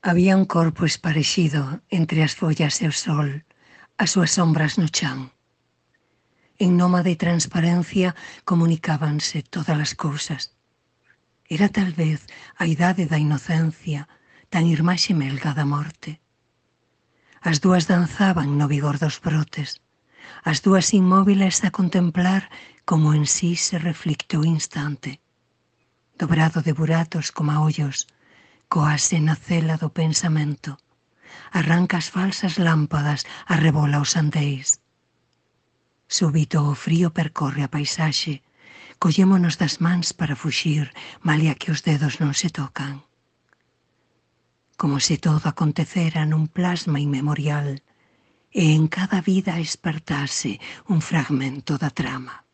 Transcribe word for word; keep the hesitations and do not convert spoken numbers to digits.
Había un corpo esparexido entre as follas e o sol, as súas sombras no chan. En nómade transparencia comunicábanse todas as cousas. Era tal vez a idade da inocencia, tan irmá xemelga da morte. As dúas danzaban no vigor dos brotes, as dúas inmóviles a contemplar como en sí se reflicte o instante. Dobrado de buratos como a ollos, coase na cela do pensamento, arranca as falsas lámpadas, arrebola os andeis. Súbito o frío percorre a paisaxe, collémonos das mans para fuxir, malia que os dedos non se tocan. Como se todo acontecera nun plasma inmemorial, e en cada vida espertase un fragmento da trama.